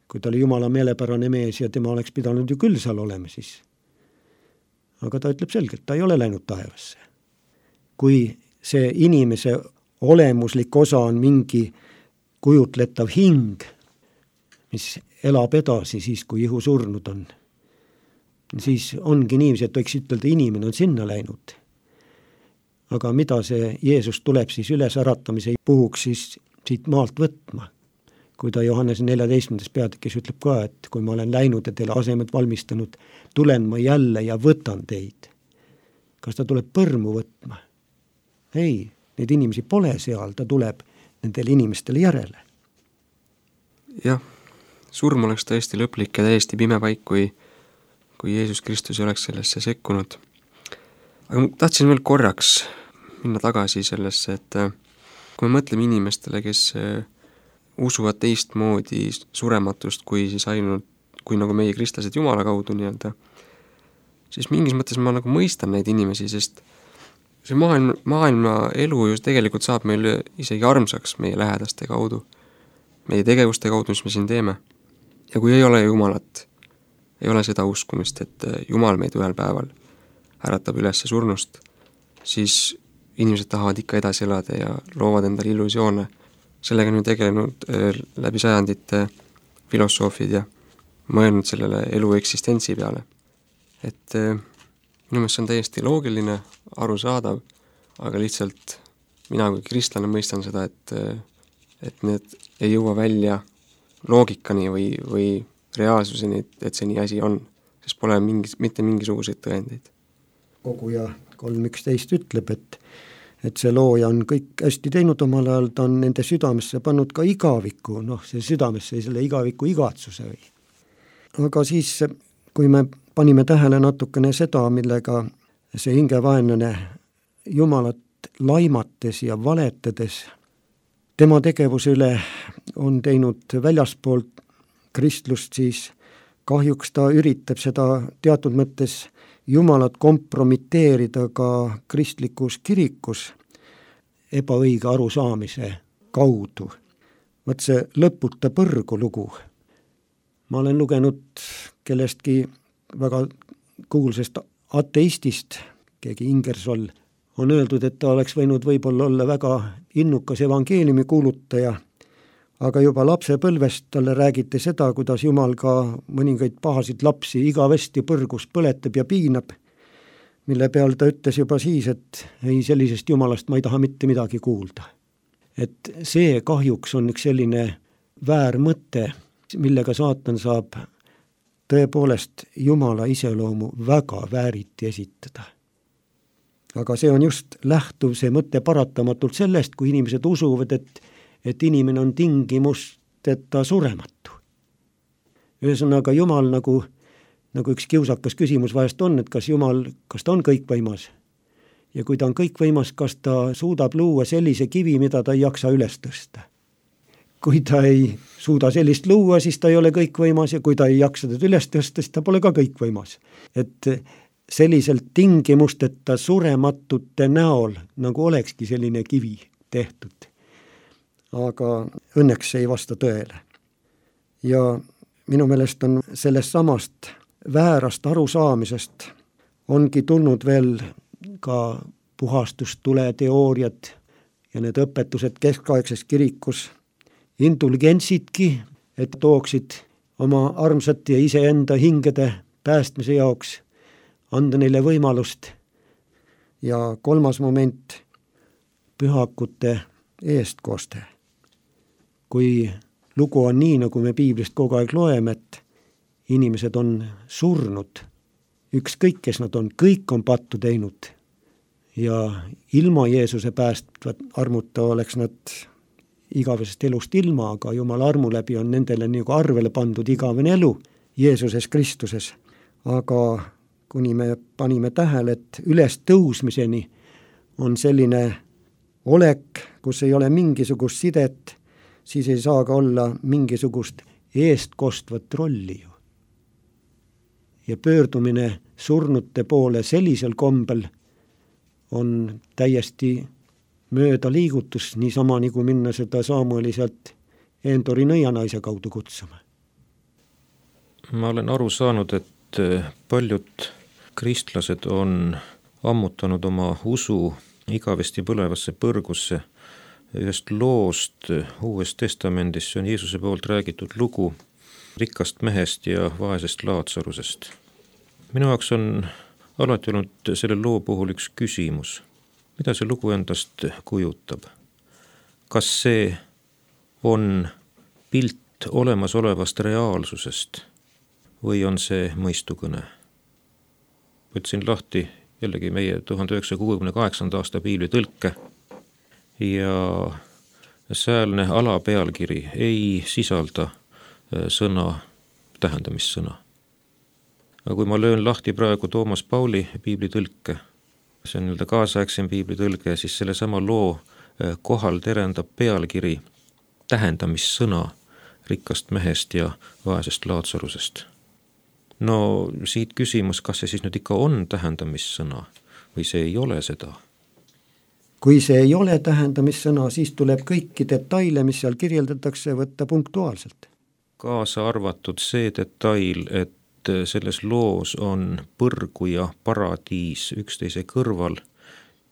Kui ta oli Jumala meelepärane mees ja tema oleks pidanud ju küll seal olema siis. Aga ta ütleb selgelt, ta ei ole läinud taevasse. Kui see inimese olemuslik osa on mingi kujutletav hing, mis elab edasi siis, kui ihu surnud on, siis ongi niiviisi, et võiks ütelda, inimene on sinna läinud. Aga mida see Jeesus tuleb siis üles äratamise puhuks siis siit maalt võtma? Kui ta Johannese 14. peatükis ütleb ka, et kui ma olen läinud ja teile asemed valmistanud, tulen ma jälle ja võtan teid. Kas ta tuleb põrmu võtma? Ei, neid inimesi pole seal, ta tuleb nendele inimestele järele. jah, surm oleks tõesti lõplik ja täiesti pime paik, kui Jeesus Kristus ei oleks sellesse sekkunud. Aga ma tahtsin veel korraks minna tagasi sellesse, et kui me mõtleme inimestele, kes usuvad teistmoodi surematust kui siis ainult, kui nagu meie kristlased Jumala kaudu nii-öelda, siis mingis mõttes ma nagu mõistan neid inimesi, sest see maailma elu ju tegelikult saab meil isegi armsaks meie lähedaste kaudu, meie tegevuste kaudu, mis me siin teeme. Ja kui ei ole Jumalat, ei ole seda uskumist, et Jumal meid ühel päeval äratab üles surnust, siis inimesed tahavad ikka edasi elada ja loovad endale illusioone. Sellega on ju tegelenud läbi sajandite filosoofid ja mõelnud sellele elu eksistentsi peale. Et minu meelest see on täiesti loogiline, arusaadav, aga lihtsalt mina kui kristlane mõistan seda, et need ei jõua välja loogikani või reaalsuseni, et see nii asi on, sest pole mitte mingisuguseid tõendeid. Koguja 3.11 ütleb, et see looja on kõik hästi teinud omal ajal, ta on nende südamesse pannud ka igaviku, see südamesse selle igaviku igatsuse või. Aga siis, kui me panime tähele natukene seda, millega see hingevaenlane Jumalat laimates ja valetades, tema tegevuse üle on teinud väljaspoolt kristlust, siis kahjuks ta üritab seda teatud mõttes Jumalat kompromiteerida ka kristlikus kirikus ebaõige arusaamise kaudu. Võt see lõputa põrgu lugu. Ma olen lugenud kellestki väga kuulsast ateistist, keegi Ingersoll, on öeldud, et ta oleks võinud võib-olla olla väga innukas evangeeliumi kuulutaja, aga juba lapsepõlvest talle räägiti seda, kuidas Jumal ka mõningaid pahasid lapsi igavesti põrgus põletab ja piinab, mille peal ta ütles juba siis, et ei, sellisest Jumalast ma ei taha mitte midagi kuulda. Et see kahjuks on üks selline väär mõte, millega saatan saab tõepoolest Jumala iseloomu väga vääriti esitada. Aga see on just lähtuv see mõte paratamatult sellest, kui inimesed usuvad, et inimene on tingimusteta surematu. Ühesõnaga Jumal nagu üks kiusakas küsimus vahest on, et kas ta on kõikvõimas? Ja kui ta on kõikvõimas, kas ta suudab luua sellise kivi, mida ta ei jaksa üles tõsta? Kui ta ei suuda sellist luua, siis ta ei ole kõikvõimas, ja kui ta ei jaksa teda üles tõsta, siis ta pole ka kõikvõimas. Et selliselt tingimusteta surematute näol, nagu olekski selline kivi tehtud. Aga õnneks ei vasta tõele. Ja minu meelest on sellest samast väärast arusaamisest ongi tulnud veel ka puhastustule teooriad ja need õpetused keskaegses kirikus indulgentsitki, et tooksid oma armsate ja iseenda hingede päästmise jaoks, anda neile võimalust. Ja 3. moment, pühakute eestkoste. Kui lugu on nii, nagu me piiblist kogu aeg loeme, et inimesed on surnud, ükskõik kes nad on, kõik on pattu teinud ja ilma Jeesuse päästvat armuta oleks nad igavesest elust ilma, aga Jumala armu läbi on nendele nagu arvele pandud igavene elu Jeesuses Kristuses. Aga kuni me panime tähele, et üles tõusmiseni on selline olek, kus ei ole mingisugust sidet, siis ei saa ka olla mingisugust eestkostvat rolli ju. Ja pöördumine surnute poole sellisel kombel on täiesti mööda liigutus, niisama nagu minna seda Samueli sealt Endori nõianaise kaudu kutsuma. Ma olen aru saanud, et paljud kristlased on ammutanud oma usu igavesti põlevasse põrgusse ühest loost Uues Testamendis, see on Jeesuse poolt räägitud lugu rikkast mehest ja vaesest Laatsarusest. Minu jaoks on alati olnud selle loo puhul üks küsimus. Mida see lugu endast kujutab? Kas see on pilt olemasolevast reaalsusest või on see mõistukõne? Võtsin lahti jällegi meie 1968. aasta piibli tõlke ja säälne alapealkiri ei sisalda sõna, tähendamissõna. Aga kui ma löön lahti praegu Toomas Pauli piiblitõlke, see on nii-öelda kaasaegsem piiblitõlge, siis selle sama loo kohal terendab pealkiri tähendamissõna rikkast mehest ja vaesest Laatsarusest. No siit küsimus, kas see siis nüüd ikka on tähendamissõna või see ei ole seda? Kui see ei ole tähendamissõna, siis tuleb kõiki detaile, mis seal kirjeldatakse, võtta punktuaalselt. Kaasa arvatud see detail, et selles loos on põrgu ja paradiis üksteise kõrval,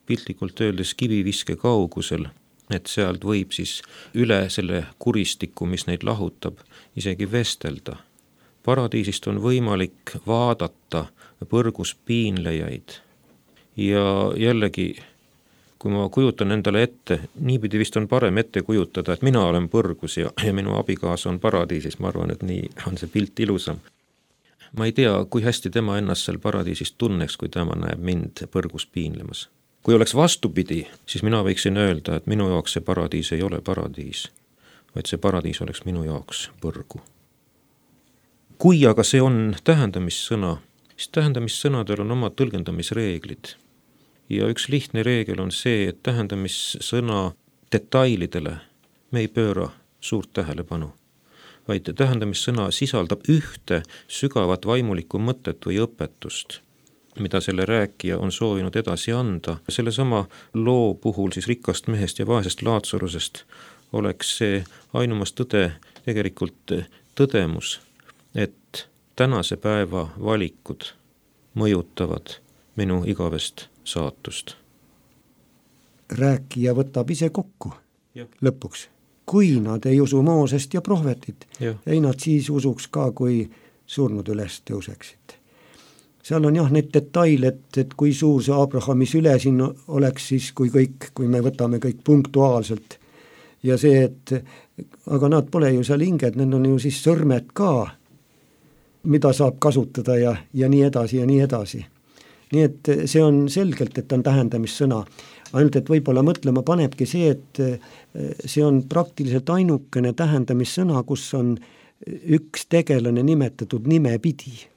piltlikult öeldes kiviviske kaugusel, et sealt võib siis üle selle kuristiku, mis neid lahutab, isegi vestelda. Paradiisist on võimalik vaadata põrgus piinlejaid ja jällegi, kui ma kujutan endale ette, niipidi vist on parem ette kujutada, et mina olen põrgus ja minu abikaasa on paradiisis, ma arvan, et nii on see pilt ilusam. Ma ei tea, kui hästi tema ennast seal paradiisis tunneks, kui tema näeb mind põrgus piinlemas. Kui oleks vastupidi, siis mina võiksin öelda, et minu jaoks see paradiis ei ole paradiis, vaid see paradiis oleks minu jaoks põrgu. Kui aga see on tähendamissõna, siis tähendamissõnadel on oma tõlgendamisreeglid. Ja üks lihtne reegel on see, et tähendamissõna detailidele me ei pööra suurt tähelepanu, vaid tähendamissõna sisaldab ühte sügavat vaimulikku mõtet või õpetust, mida selle rääkija on soovinud edasi anda. Selle sama loo puhul siis rikkast mehest ja vaesest Laatsarusest oleks see ainumas tõde tegelikult tõdemus, et tänase päeva valikud mõjutavad minu igavest saatust. Rääkija võtab ise kokku lõpuks. Kui nad ei usu Moosest ja prohvetit, ei nad siis usuks ka, kui surnud üles tõuseksid. Seal on jah need detail, et kui suur see Abrahami süle siin oleks siis, kui me võtame kõik punktuaalselt. Ja see, aga nad pole ju seal hinged, need on ju siis sõrmed ka, mida saab kasutada ja nii edasi ja nii edasi. Nii et see on selgelt, et on tähendamissõna. Ainult, et võib-olla mõtlema panebki see, et see on praktiliselt ainukene tähendamissõna, kus on üks tegelane nimetatud nimepidi.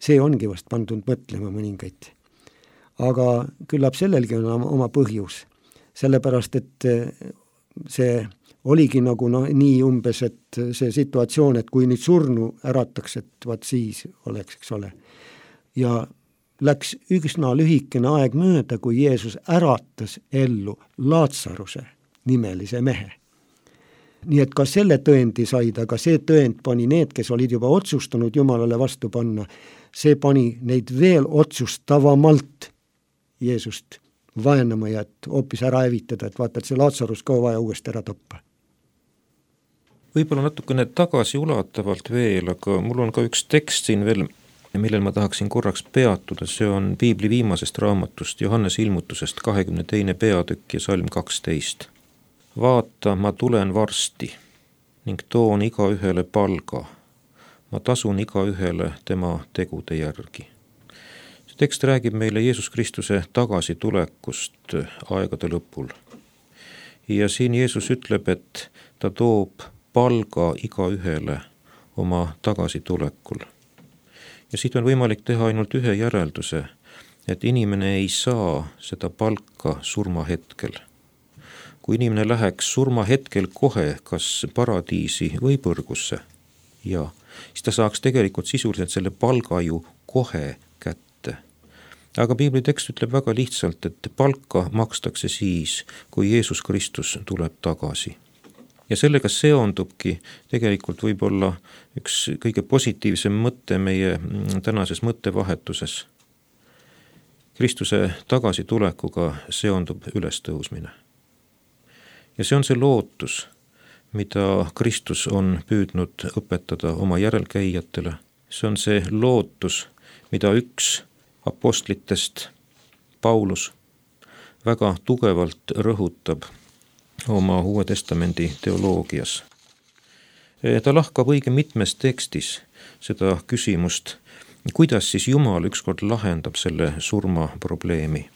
See ongi vast pandud mõtlema mõningaid. Aga küllap sellelgi on oma põhjus. Sellepärast, et see oligi nagu nii umbes, et see situatsioon, et kui nüüd surnu ärataks, et vaat siis oleks, eks ole. Ja läks üsna lühikene aeg mööda, kui Jeesus äratas ellu Laatsaruse nimelise mehe. Nii et ka selle tõendi said, aga see tõend pani need, kes olid juba otsustanud Jumalale vastu panna, see pani neid veel otsustavamalt Jeesust vaenama ja et hoopis ära hävitada, et vaata, et see Laatsarus ka vaja uuesti ära tappa. Võib-olla natukene tagasi ulatavalt veel, aga mul on ka üks tekst siin veel, millel ma tahaksin korraks peatuda, see on Piibli viimasest raamatust, Johannese ilmutusest 22. peatükk ja salm 12. Vaata, ma tulen varsti ning toon igaühele palga. Ma tasun igaühele tema tegude järgi. See tekst räägib meile Jeesus Kristuse tagasitulekust aegade lõpul. Ja siin Jeesus ütleb, et ta toob palga igaühele oma tagasitulekul. Ja siit on võimalik teha ainult ühe järelduse, et inimene ei saa seda palka surmahetkel. Kui inimene läheks surmahetkel kohe kas paradiisi või põrgusse, siis ta saaks tegelikult sisuliselt selle palga ju kohe kätte. Aga Piibli tekst ütleb väga lihtsalt, et palka makstakse siis, kui Jeesus Kristus tuleb tagasi. Ja sellega seondubki tegelikult võib-olla üks kõige positiivsem mõte meie tänases mõttevahetuses. Kristuse tagasitulekuga seondub ülestõusmine. Ja see on see lootus, mida Kristus on püüdnud õpetada oma järelkäijatele. See on see lootus, mida üks apostlitest, Paulus, väga tugevalt rõhutab oma Uue Testamendi teoloogias. Ta lahkab õige mitmes tekstis seda küsimust, kuidas siis Jumal ükskord lahendab selle surma probleemi.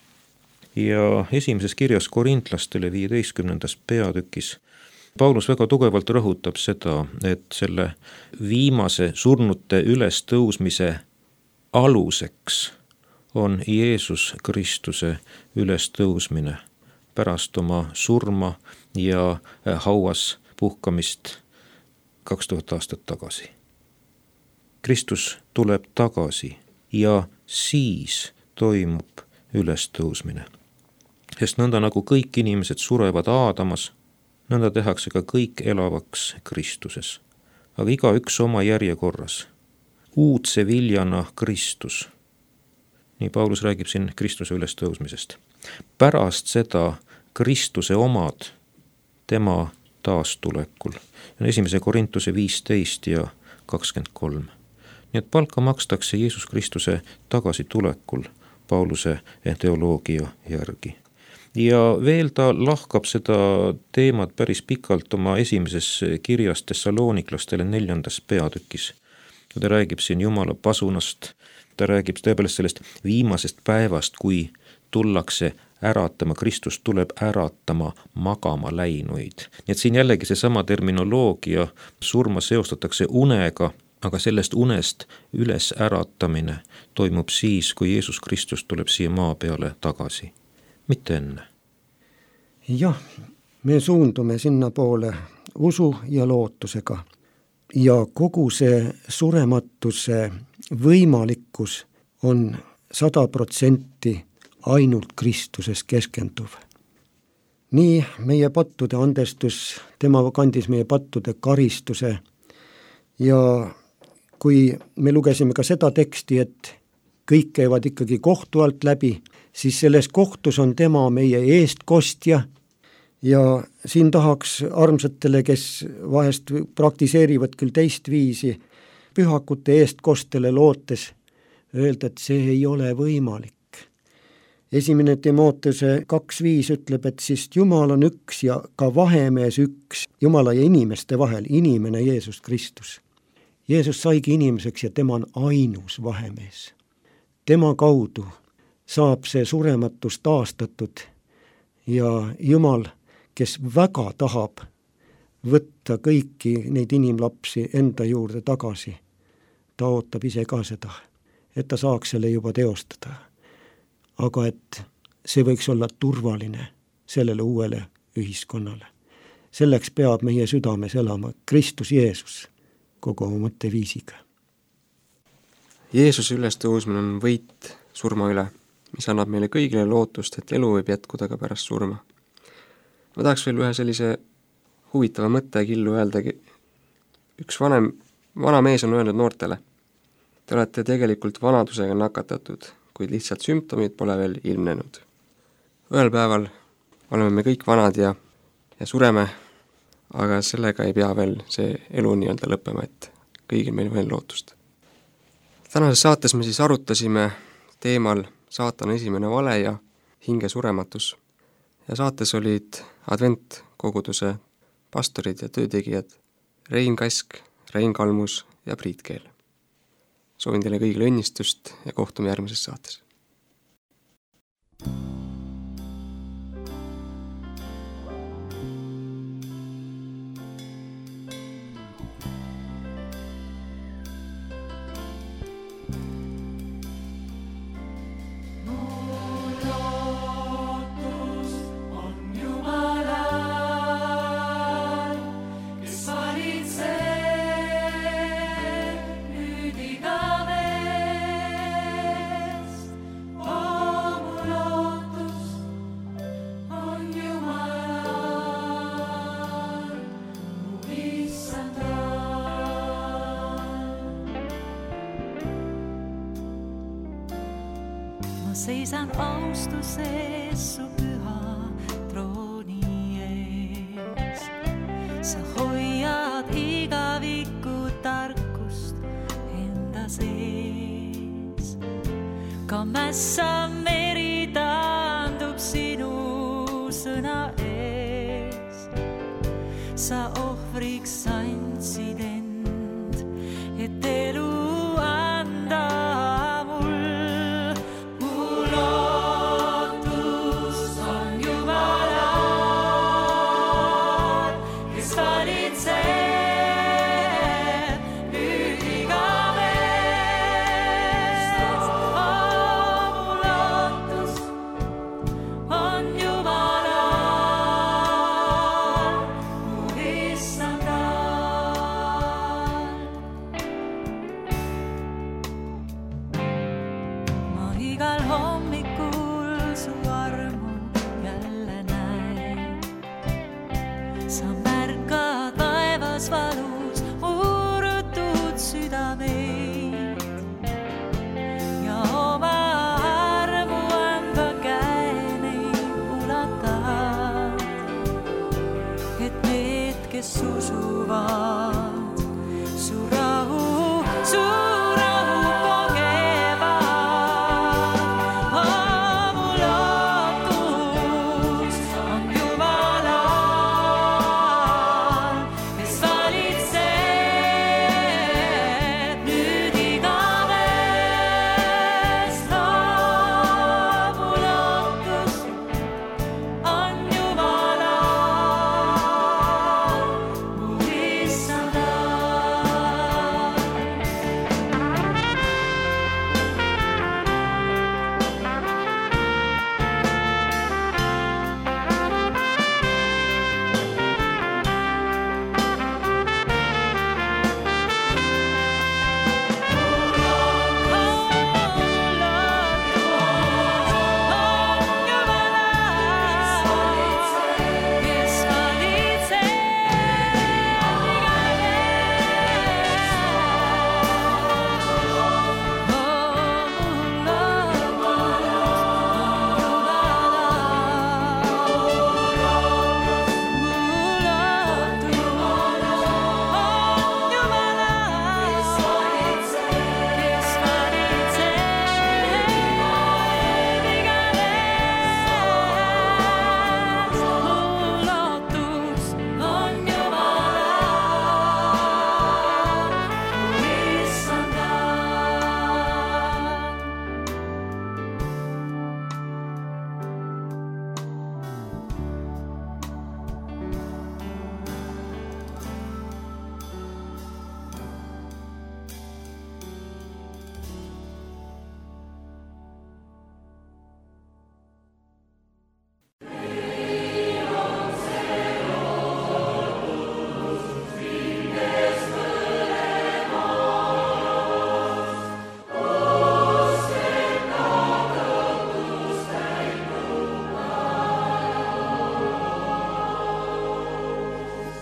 Ja esimeses kirjas Korintlastele 15. peatükis Paulus väga tugevalt rõhutab seda, et selle viimase surnute ülestõusmise aluseks on Jeesus Kristuse ülestõusmine pärast oma surma ja hauas puhkamist 2000 aastat tagasi. Kristus tuleb tagasi ja siis toimub ülestõusmine. Sest nõnda nagu kõik inimesed surevad Aadamas, nõnda tehakse ka kõik elavaks Kristuses. Aga igaüks oma järjekorras. Uudse viljana Kristus. Nii Paulus räägib siin Kristuse ülestõusmisest. Pärast seda Kristuse omad tema taastulekul. 1. Korintuse 15 ja 23. Nii et palka makstakse Jeesus Kristuse tagasitulekul Pauluse teoloogia järgi. Ja veel ta lahkab seda teemat päris pikalt oma esimeses kirjas Thessaloniklastele 4. peatükis. Ta räägib siin Jumala pasunast, ta räägib tõepoolest sellest viimasest päevast, kui tullakse äratama, Kristus tuleb äratama magama läinuid. Nii et siin jällegi seesama terminoloogia, surma seostatakse unega, aga sellest unest üles äratamine toimub siis, kui Jeesus Kristus tuleb siia maa peale tagasi. Mitte enne. Jah, me suundume sinna poole usu ja lootusega. Ja kogu see surematuse võimalikkus on 100% ainult Kristuses keskenduv. Nii meie pattude andestus, tema kandis meie pattude karistuse ja kui me lugesime ka seda teksti, et kõik käivad ikkagi kohtu alt läbi, siis selles kohtus on tema meie eestkostja ja siin tahaks armsatele, kes vahest praktiseerivad küll teist viisi, pühakute eestkostele lootes öelda, et see ei ole võimalik. 1. Timoteuse 2.5 ütleb, et siis Jumal on üks ja ka vahemees üks Jumala ja inimeste vahel, inimene Jeesus Kristus. Jeesus saigi inimeseks ja tema on ainus vahemees. Tema kaudu saab see surematus taastatud ja Jumal, kes väga tahab võtta kõiki neid inimlapsi enda juurde tagasi, ta ootab ise ka seda, et ta saaks selle juba teostada. Aga et see võiks olla turvaline sellele uuele ühiskonnale. Selleks peab meie südames elama Kristus Jeesus kogu oma mõtteviisiga. Jeesuse ülestõusmine on võit surma üle, mis annab meile kõigile lootust, et elu võib jätkuda ka pärast surma. Ma tahaks veel ühe sellise huvitava mõttekillu öeldagi. Üks vana mees on öelnud noortele: te olete tegelikult vanadusega nakatatud, kuid lihtsalt sümptomid pole veel ilmnenud. Ühel päeval oleme me kõik vanad ja sureme, aga sellega ei pea veel see elu nii-öelda lõppema, et kõigil meil veel lootust. Tänases saates me siis arutasime teemal saatana esimene vale ja hinge surematus. Ja saates olid adventkoguduse pastorid ja töötegijad Rein Kask, Rein Kalmus ja Priit Keel. Soovin teile kõigile õnnistust ja kohtume järgmises saates. Seisan austuses su püha trooni ees. Sa hoiad igavikku tarkust enda sees. Ka mässa meri taandub sinu sõna ees. Sa ohvriks andsid end, et elu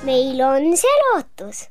meil on see lootus.